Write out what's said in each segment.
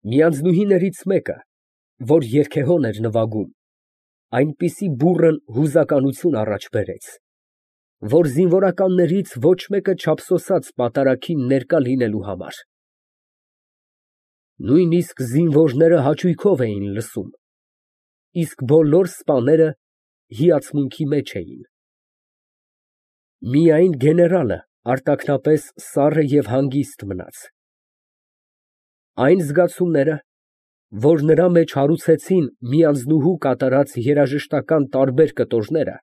Մի անձնուհիներից մեկը, որ երգեհոն էր նվագում, այնպիսի բուռն հուզականություն առաջ բերեց, որ զինվորականներից ոչ մեկը չափսոսաց պատարագին ներկա լինելու համար. նույնիսկ զինվորները հաճույքով էին լսում, իսկ բոլոր սպաները հիացմունքի մեջ էին. միայն գեներալը արտաքնապես սառը և հանգիստ մնաց. այն զգացումները, որ նրա մեջ հարուցեցին մի անձնուհու կատարած երաժշտական տարբեր կտորները,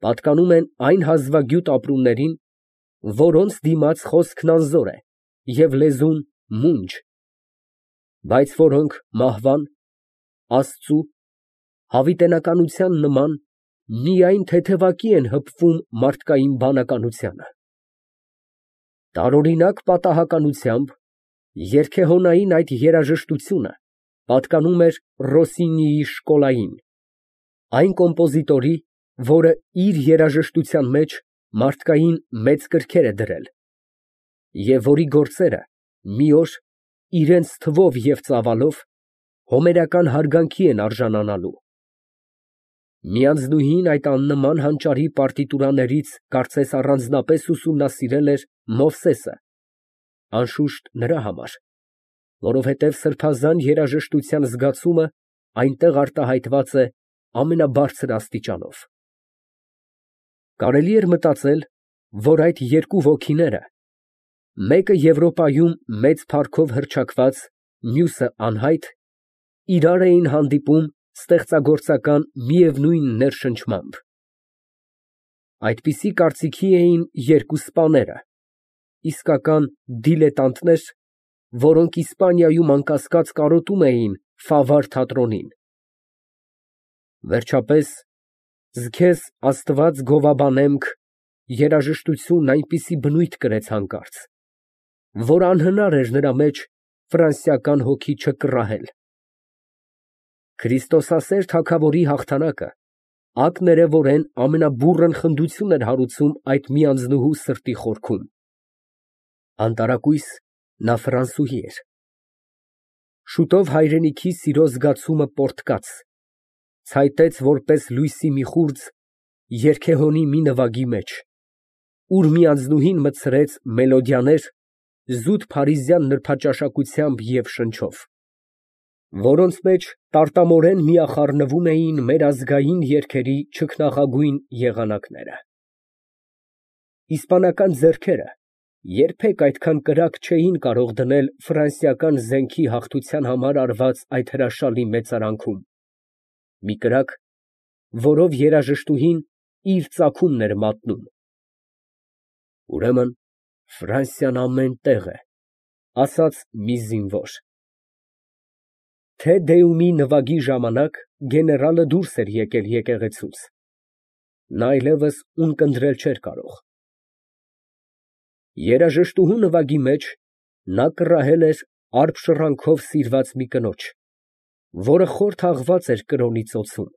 պատկանում են այն հազվագյուտ ապրումներին, որոնց դիմաց խոսքն անզոր է և լեզուն մունջ, բայց որոնք մահվան, Աստծու, հավիտենականության նման միայն թեթևակի են հպվում մարդկային բանականությանը։ Տարօրինակ պատահականությամբ երգեհոնային այդ երաժշտությունը պատկանում էր Ռոսինիի շկոլային, այն կոմպոզիտորի, որը իր երաժշտության մեջ մարդկային մեծ կրքեր է դրել, և որի գործերը մի օր իրենց թվով և ծավալով հոմերական հարգանքի են արժանանալու։ Մի անձնուհին այդ աննման հանճարի պարտիտուրաներից կարծես առանձնապես ուսումնասիրել էր Մովսեսը, անշուշտ նրա համար, որովհետև սրբազան երաժշտության զգացումը այնտեղ արտահայտված է ամենաբարձր աստիճանով։ Կարելի էր մտածել, որ այդ երկու ոգիները, մեկը Եվրոպայում մեծ փառքով հռչակված, մյուսը անհայտ, իրար էին հանդիպում ստեղծագործական միևնույն ներշնչմամբ։ Այդպիսի կարծիքի էին երկու սպաները, իսկական դիլետանտներ, որոնք Իսպանիայում անկասկած կարոտում էին Ֆավար թատրոնին։ Վերջապես, «Զգեզ Աստված գովաբանեմք» երաժշտությունն այնպիսի բնույթ կրեց հանկարծ, որ անհնար էր նրա մեջ ֆրանսիական հոգի չկռահել։ Քրիստոսասեր թագավորի հաղթանակը ակներևորեն ամենաբուռն խնդություն էր հարուցում այդ մի անձնուհու սրտի խորքում։ Անտարակույս նա ֆրանսուհի էր։ Շուտով հայրենիքի սիրո զգացումը պոռթկաց, ցայտեց որպես լույսի մի խուրձ երգեհոնի մի նվագի մեջ, ուր մի անձնուհին մտցրեց մելոդիաներ զուտ փարիզյան նրբաճաշակությամբ և շնչով, որոնց մեջ տարտամորեն միախառնվում էին մեր ազգային երգերի չքնաղագույն եղանակները։ Իսպանական ձեռքերը երբեք այդքան կրակ չէին կարող դնել ֆրանսիական զենքի հաղթության համար արված այդ հրաշալի մեծարանքում, մի կրակ, որով երաժշտուհին իր ծագումն էր մատնում։ Ուրեմն Ֆրանսիան ամեն տեղ է, ասաց մի զինվոր։ Թե Դեումի նվագի ժամանակ գեներալը դուրս էր եկել եկեղեցուց։ Նա այլևս ունկնդրել չէր կարող։ Երաժշտուհու նվագի մեջ նա կռահել էր արբ շռանքով սիրված մի կնոջ, որը խոր թաղված էր կրոնի ծոցում,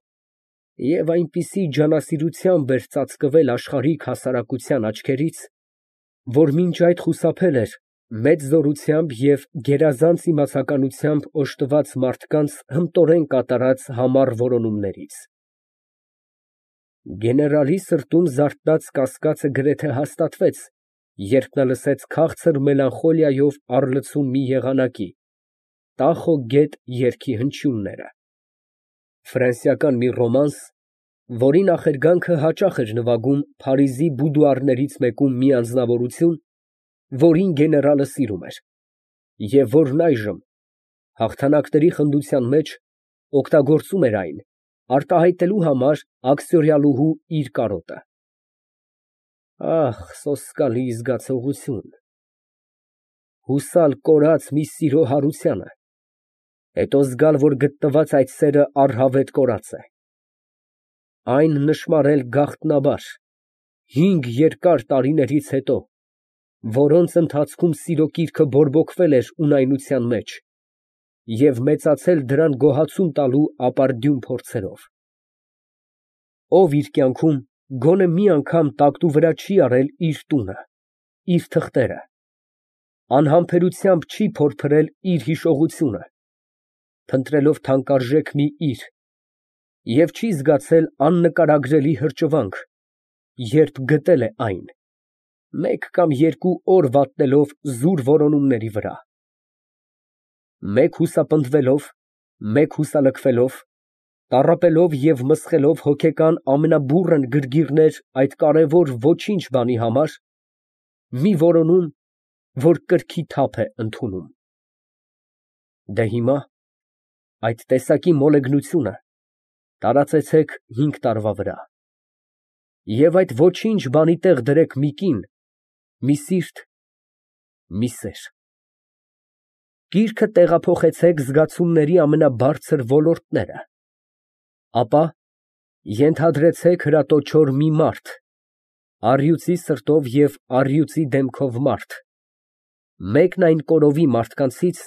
և այնպիսի ջանասիրությամբ էր ծածկվել աշխարհիկ հասարակության աչքերից, որ մինչ այդ խուսափել էր մեծ զորությամբ և գերազանց իմացականությամբ օժտված մարդկանց հմտորեն կատարած համառ որոնումներից։ Գեներալի սրտում զարթնած կասկածը գրեթե հաստատվեց, երբ նա լսեց քաղցր մելանխոլիայով առլցուն մի եղանակի «Տախո գետ» երգի հնչյունները։ Ֆրանսիական մի ռոմանս, որի նախերգանքը հաճախ էր նվագում Փարիզի բուդուարներից մեկում մի անձնավորություն, որին գեներալը սիրում էր, և որն այժմ, հաղթանակների խնդության մեջ, օգտագործում էր այն, արտահայտելու համար աքսորիալուհու իր կարոտը։ Ահ, սոսկալի զգացողություն, հուսալ կորած մի սիրո հարությանը, հետո զգալ, որ գտնված այդ սերը առհավետ կորած է, այն նշմարել գաղտնաբար, 5 երկար տարիներից հետո, որոնց ընթացքում սիրո կիրքը բորբոքվել էր ունայնության մեջ և մեծացել դրան գոհացում տալու ապարդյուն փորձերով։ Ով իր կյանքում գոնե մի անգամ տակտու վրա չի արել իր տունը, իր թղթերը, անհամբերությամբ չի փորփրել իր հիշողությունը, փնտրելով թանկարժեք մի իր, և չի զգացել աննկարագրելի հրճվանք, երբ գտել է այն, մեկ կամ երկու օր վատնելով զուր որոնումների վրա, մեկ հուսապնդվելով, մեկ հուսալքվելով, տառապելով և մսխելով հոգեկան ամենաբուռն գրգիռներ այդ կարևոր ոչինչ բանի համար, մի որոնում, որ կրքի թափ է ընդունում։ Դե հիմա այդ տեսակի մոլեգնությունը տարածեցեք 5 տարվա վրա, և այդ ոչինչ բանի տեղ դրեք մի կին, մի սիրտ, մի սեր։ Կիրքը տեղափոխեցեք զգացումների ամենաբարձր ոլորտները, ապա ենթադրեցեք հրատոչոր մի մարդ, առյուծի սրտով և առյուծի դեմքով մարդ, մեկն այն կորովի մարդկանցից,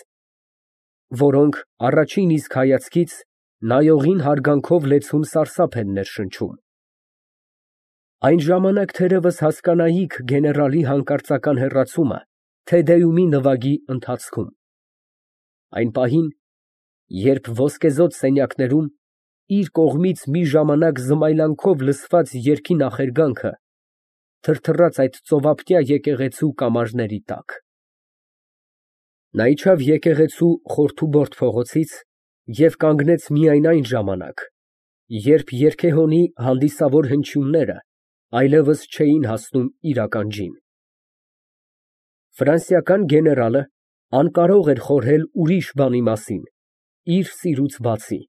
որոնք առաջին իսկ հայացքից նայողին հարգանքով լեցուն սարսափ են ներշնչում։ Այն ժամանակ թերևս հասկանայիք գեներալի հանկարծական հեռացումը Թեդեումի նվագի ընթացքում, այն պահին, երբ ոսկեզօծ սենյակներում իր կողմից մի ժամանակ զմայլանքով լսված երգի նախերգանքը թրթռաց այդ ծովափնյա եկեղեցու կամարների տակ։ Նա իջավ եկեղեցու խորթուբորդ փողոցից և կանգնեց միայն այն ժամանակ, երբ երգեհոնի հանդիսավոր հնչյունները այլևս չէին հասնում իր ականջին։ Ֆրանսիական գեներալը անկարող էր խորհել ուրիշ բանի մասին, իր սիրուց բացի,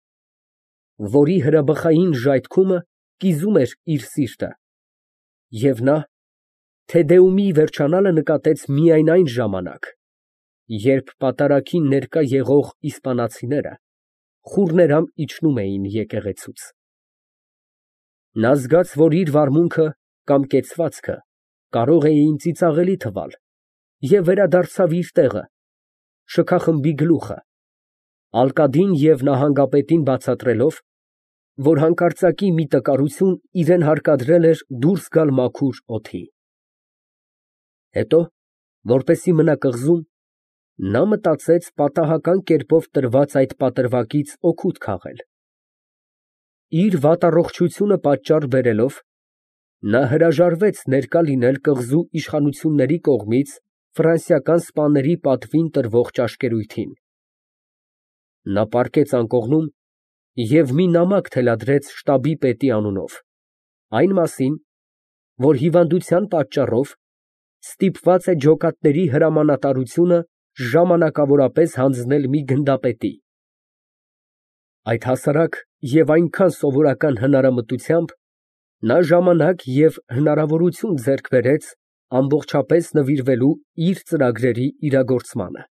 որի հրաբխային ժայթքումը կիզում էր իր սիրտը, և նա Թեդեումի վերջանալը նկատեց միայն այն ժամանակ, երբ պատարագին ներկա եղող իսպանացիները խուռներամբ իջնում էին եկեղեցուց։ Նա զգաց, որ իր վարմունքը կամ կեցվածքը կարող էին ծիծաղելի թվալ, և վերադարձավ իր տեղը, շքախմբի գլուխը, ալկադին և նահանգապետին բացատրելով, որ հանկարծակի մի տկարություն իրան հարկադրել էր դուրս գալ մաքուր օդի։ Հետո, որպեսզի մնա կղզում, նա մտածեց պատահական կերպով տրված այդ պատրվակից օգուտ քաղել։ Իր վատառողջությունը պատճառ բերելով, նա հրաժարվեց ներկա լինել կղզու իշխանությունների կողմից ֆրանսիական սպաների պատվին տրվող ճաշկերույթին։ Նա պառկեց անկողնում և մի նամակ թելադրեց շտաբի պետի անունով, այն մասին, որ հիվանդության պատճառով ստիպված է ջոկատների հրամանատարությունը ժամանակավորապես հանձնել մի գնդապետի։ Այդ հասարակ և այնքան սովորական հնարամտությամբ նա ժամանակ և հնարավորություն ձեռք բերեց ամբողջապես նվիրվելու իր ծրագրերի իրագործմանը։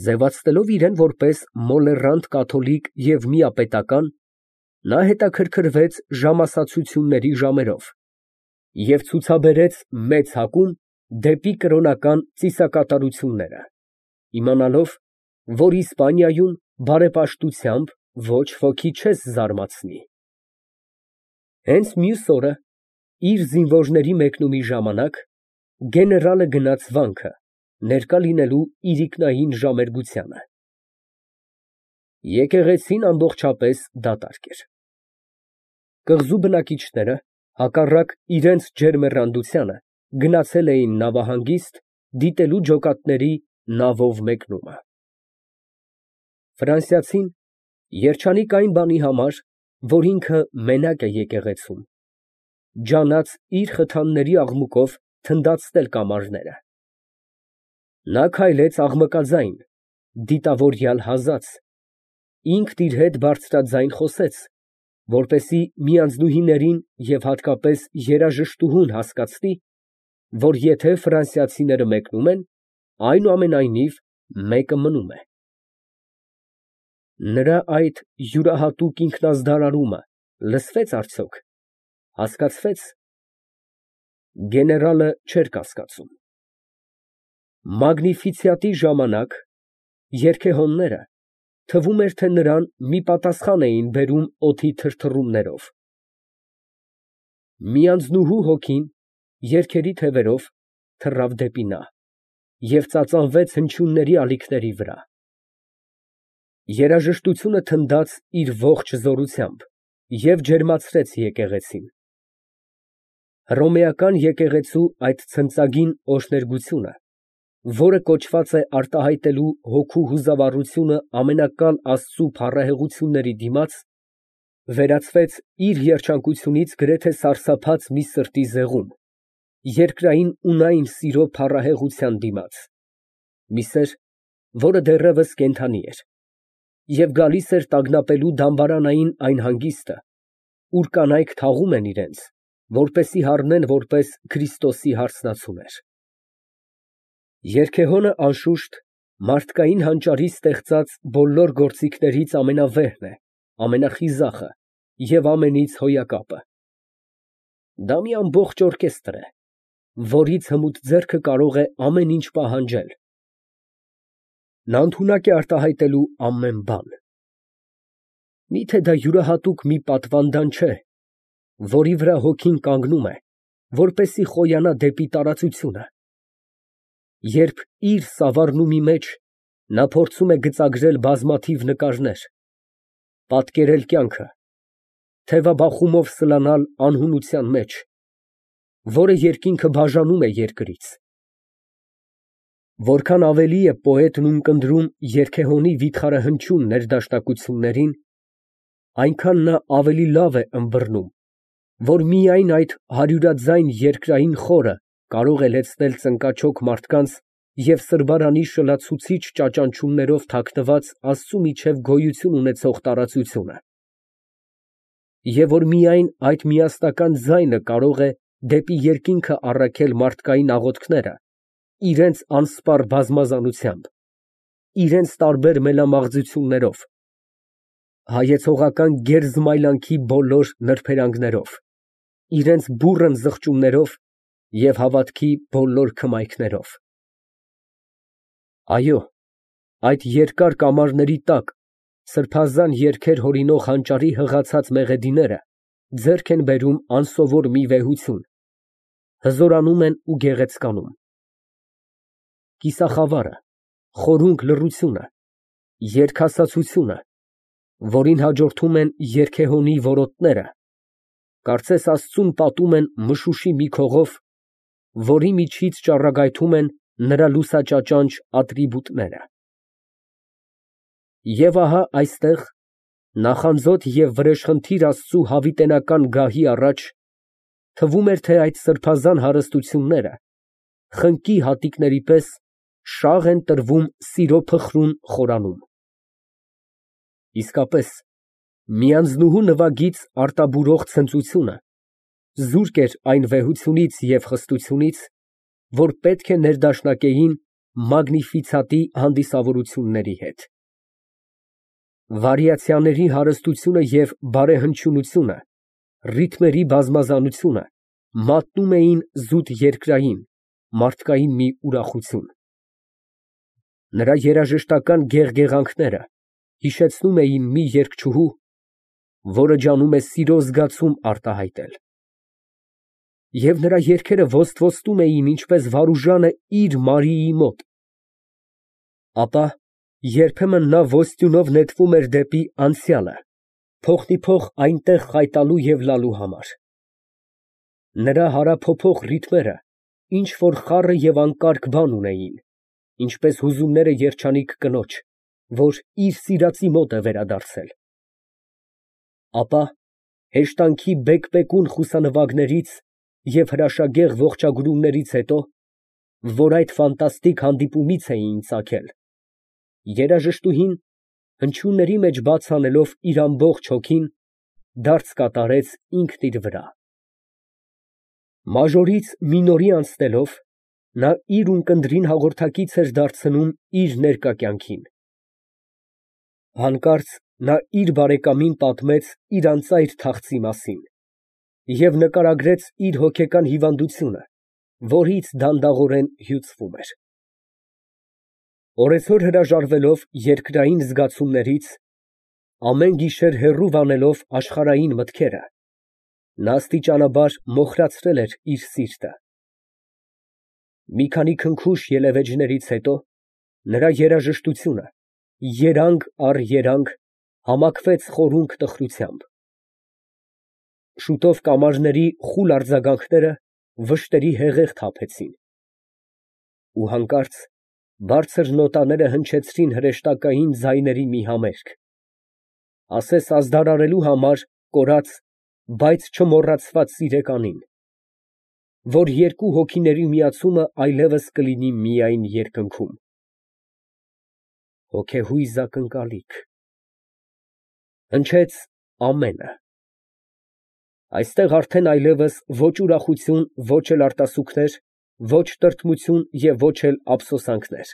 Ձևացնելով իրան որպես մոլեռանդ կաթոլիկ և միապետական, նա հետաքրքրվեց ժամասացությունների ժամերով և ցուցաբերեց մեծ հակում դեպի կրոնական ծիսակատարությունները, իմանալով, որ Իսպանիայում բարեպաշտությամբ ոչ ոքի չես զարմացնի։ Հենց մյուս օրը, իր զինվորների մեկնումի ժամանակ, գեներալը գնաց վանքը, ներկա լինելու իրիկնային ժամերգությանը։ Եկեղեցին ամբողջապես դատարկ էր։ Կղզու բնակիչները, հակառակ իրենց ջերմեռանդությանը, գնացել էին նավահանգիստ, դիտելու ջոկատների նավով մեկնումը։ Ֆրանսիացին երջանիկ այն բանի համար, որ ինքը մենակ է եկեղեցում, ջանաց իր խթանների աղմուկով թնդացնել կամարները։ Նա քայլեց աղմկաձայն, դիտավորյալ հազած, ինքն իր հետ բարձրաձայն խոսեց, որպեսզի միանձնուհիներին և հատկապես երաժշտուհուն հասկացնի, որ եթե ֆրանսիացիները մեկնում են, այնուամենայնիվ մեկը մնում է։ Նրա այդ յուրահատուկ ինքնազդարարումը լսվե՞ց արդյոք, հասկացվե՞ց։ Գեներալը չէր կասկածում։ Մագնիֆիցիատի ժամանակ երգեհոնները, թվում էր, թե նրան մի պատասխան էին բերում օդի թրթռումներով։ Մի անձնուհու հոգին, երգերի թևերով, թռավ դեպի նա։ և ծածանվեց հնչյունների ալիքների վրա։ Երաժշտությունը թնդաց իր ողջ զորությամբ և ջերմացրեց եկեղեցին։ Հռոմեական եկեղեցու այդ ցնծագին օրհներգությունը, որը կոչված է արտահայտելու հոգու հուզավառությունը ամենակալ Աստծու փառահեղությունների դիմաց, վերածվեց իր երջանկությունից գրեթե սարսափած մի սրտի զեղում, երկրային ունայն սիրո փառահեղության դիմաց, մի սեր, որը դեռևս կենդանի էր, և գալիս էր տագնապելու դամբարանային այն հանգիստը, ուր կանայք թաղում են իրենց, որպեսզի հառնեն որպես Քրիստոսի հարսնացուներ։ Երգեհոնը, անշուշտ, մարդկային հանճարի ստեղծած բոլոր գործիքներից ամենավեհն է, ամենախիզախը և ամենից հոյակապը։ Դա մի ամբողջ օրկեստր է, որից հմուտ ձեռքը կարող է ամեն ինչ պահանջել։ Նա ընդունակ է արտահայտելու ամեն բան։ Միթե դա յուրահատուկ մի պատվանդան չէ, որի վրա հոգին կանգնում է, որպեսզի խոյանա դեպի տարածությունը։ Երբ իր սավառնումի մեջ նա փորձում է գծագրել բազմաթիվ նկարներ, պատկերել կյանքը, թևաբախումով սլանալ անհունության մեջ, որը երկինքը բաժանում է երկրից, որքան ավելի է պոետն ունկնդրում երգեհոնի վիթխարահնչյուն ներդաշնակություններին, այնքան նա ավելի լավ է ըմբռնում, որ միայն այդ հարյուրաձայն երկրային խորը կարող է լեցնել ծնկաչոք մարդկանց և սրբարանի շլացուցիչ ճաճանչումներով թաքնված Աստծու միջև գոյություն ունեցող տարածությունը, և որ միայն այդ միասնական ձայնը կարող է դեպի երկինքը առաքել մարդկային աղոթքները իրենց անսպառ բազմազանությամբ, իրենց տարբեր մելամաղձություններով, հայեցողական գերզմայլանքի բոլոր նրբերանգներով, իրենց բուռն զղջումներով և հավատքի բոլոր քմայքներով։ Այո, այդ երկար կամարների տակ սրբազան երգեր հորինող հանճարի հղացած մեղեդիները ձեռք են բերում անսովոր մի վեհություն, հզորանում են ու գեղեցկանում։ Կիսախավարը, խորունկ լռությունը, երգասացությունը, որին հաջորդում են երգեհոնի որոտները, կարծես Աստծուն պատում են մշուշի մի քողով, որի միջից ճառագայթում են նրա լուսաճաճանչ ատրիբուտները։ Եվ ահա այստեղ, նախանձոտ և վրեժխնդիր Աստծու հավիտենական գահի առաջ, թվում էր, թե այդ սրբազան հարստությունները, խնկի հատիկների պես, շաղ են տրվում սիրո փխրուն խորանում։ Իսկապես, մի անձնուհու նվագից արտաբուրող ցնծությունը զուրկ էր այն վեհությունից և խստությունից, որ պետք է ներդաշնակեին Մագնիֆիցատի հանդիսավորությունների հետ։ Վարիացիաների հարստությունը և բարեհնչյունությունը, ռիթմերի բազմազանությունը մատնում էին զուտ երկրային, մարդկային մի ուրախություն։ Նրա երաժշտական գեղգեղանքները հիշեցնում էին մի երգչուհու, որը ջանում է սիրո զգացում արտահայտել։ Եվ նրա երգերը ոստվոստում էին ինչպես Վարուժանը իր Մարիի մոտ։ Ապա երբեմն նա ոստյունով նետվում էր դեպի անցյալը, փոխնիփոխ այնտեղ խայտալու և լալու համար։ Նրա հարափոփող ռիթմերը ինչ որ խառը և անկարգ բան ունեին, ինչպես հուզումները երջանիկ կնոջ, որ իր սիրածի մոտ է վերադարձել։ Ապա հեշտանքի բեկբեկուն խուսանվագներից և հրաշագեղ ողջագրումներից հետո, որ այդ ֆանտաստիկ հանդիպումից էին ծագել, երաժշտուհին, հնչյունների մեջ բաց անելով իր ամբողջ հոգին, դարձ կատարեց ինքն իր վրա։ Մաժորից մինորի անցնելով, նա իր ունկնդրին հաղորդակից էր դարձնում իր ներկա կյանքին։ Հանկարծ նա իր բարեկամին պատմեց իր անծայր թախծի մասին և նկարագրեց իր հոգեկան հիվանդությունը, որից դանդաղորեն հյուծվում էր։ Օրեցօր հրաժարվելով երկրային զգացումներից, ամեն գիշեր հեռու վանելով աշխարհային մտքերը, նա աստիճանաբար մոխրացրել էր իր սիրտը։ Մի քանի քնքուշ ելևէջներից հետո նրա երաժշտությունը երանգ առ երանգ համակվեց խորունկ տխրությամբ. շուտով կամարների խուլ արձագանքները վշտերի հեղեղ թափեցին, ու հանկարծ բարձր նոտաները հնչեցրին հրեշտակային ձայների մի համերգ, ասես ազդարարելու համար կորած, բայց չմոռացված սիրեկանին, որ երկու հոգիների միացումը այլևս կլինի միայն երկնքում։ Հոգեհույզ ակնկալիք… հնչեց ամենը… այստեղ արդեն այլևս ոչ ուրախություն, ոչ էլ արտասուքներ, ոչ տրտմություն և ոչ էլ ափսոսանքներ…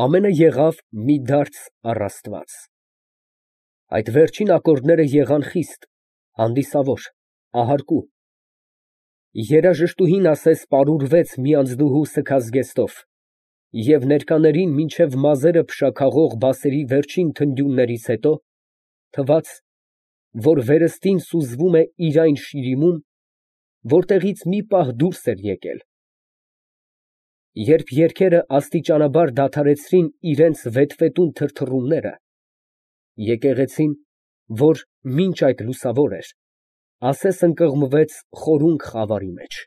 ամենը եղավ մի դարձ առ Աստված… այդ վերջին ակորդները եղան խիստ, հանդիսավոր, ահարկու… երաժշտուհին ասես պարուրվեց մի անձնուհու սգած զգեստով և ներկաներին մինչև մազերը փշաքաղող բասերի վերջին թնդյուններից հետո, թվաց, որ վերստին սուզվում է իր այն շիրիմում, որտեղից մի պահ դուրս էր եկել… երբ երգերը աստիճանաբար դադարեցրին իրենց վետվետուն թրթռումները, եկեղեցին, որ մինչ այդ լուսավոր էր, ասես ընկղմվեց խորունկ խավարի մեջ։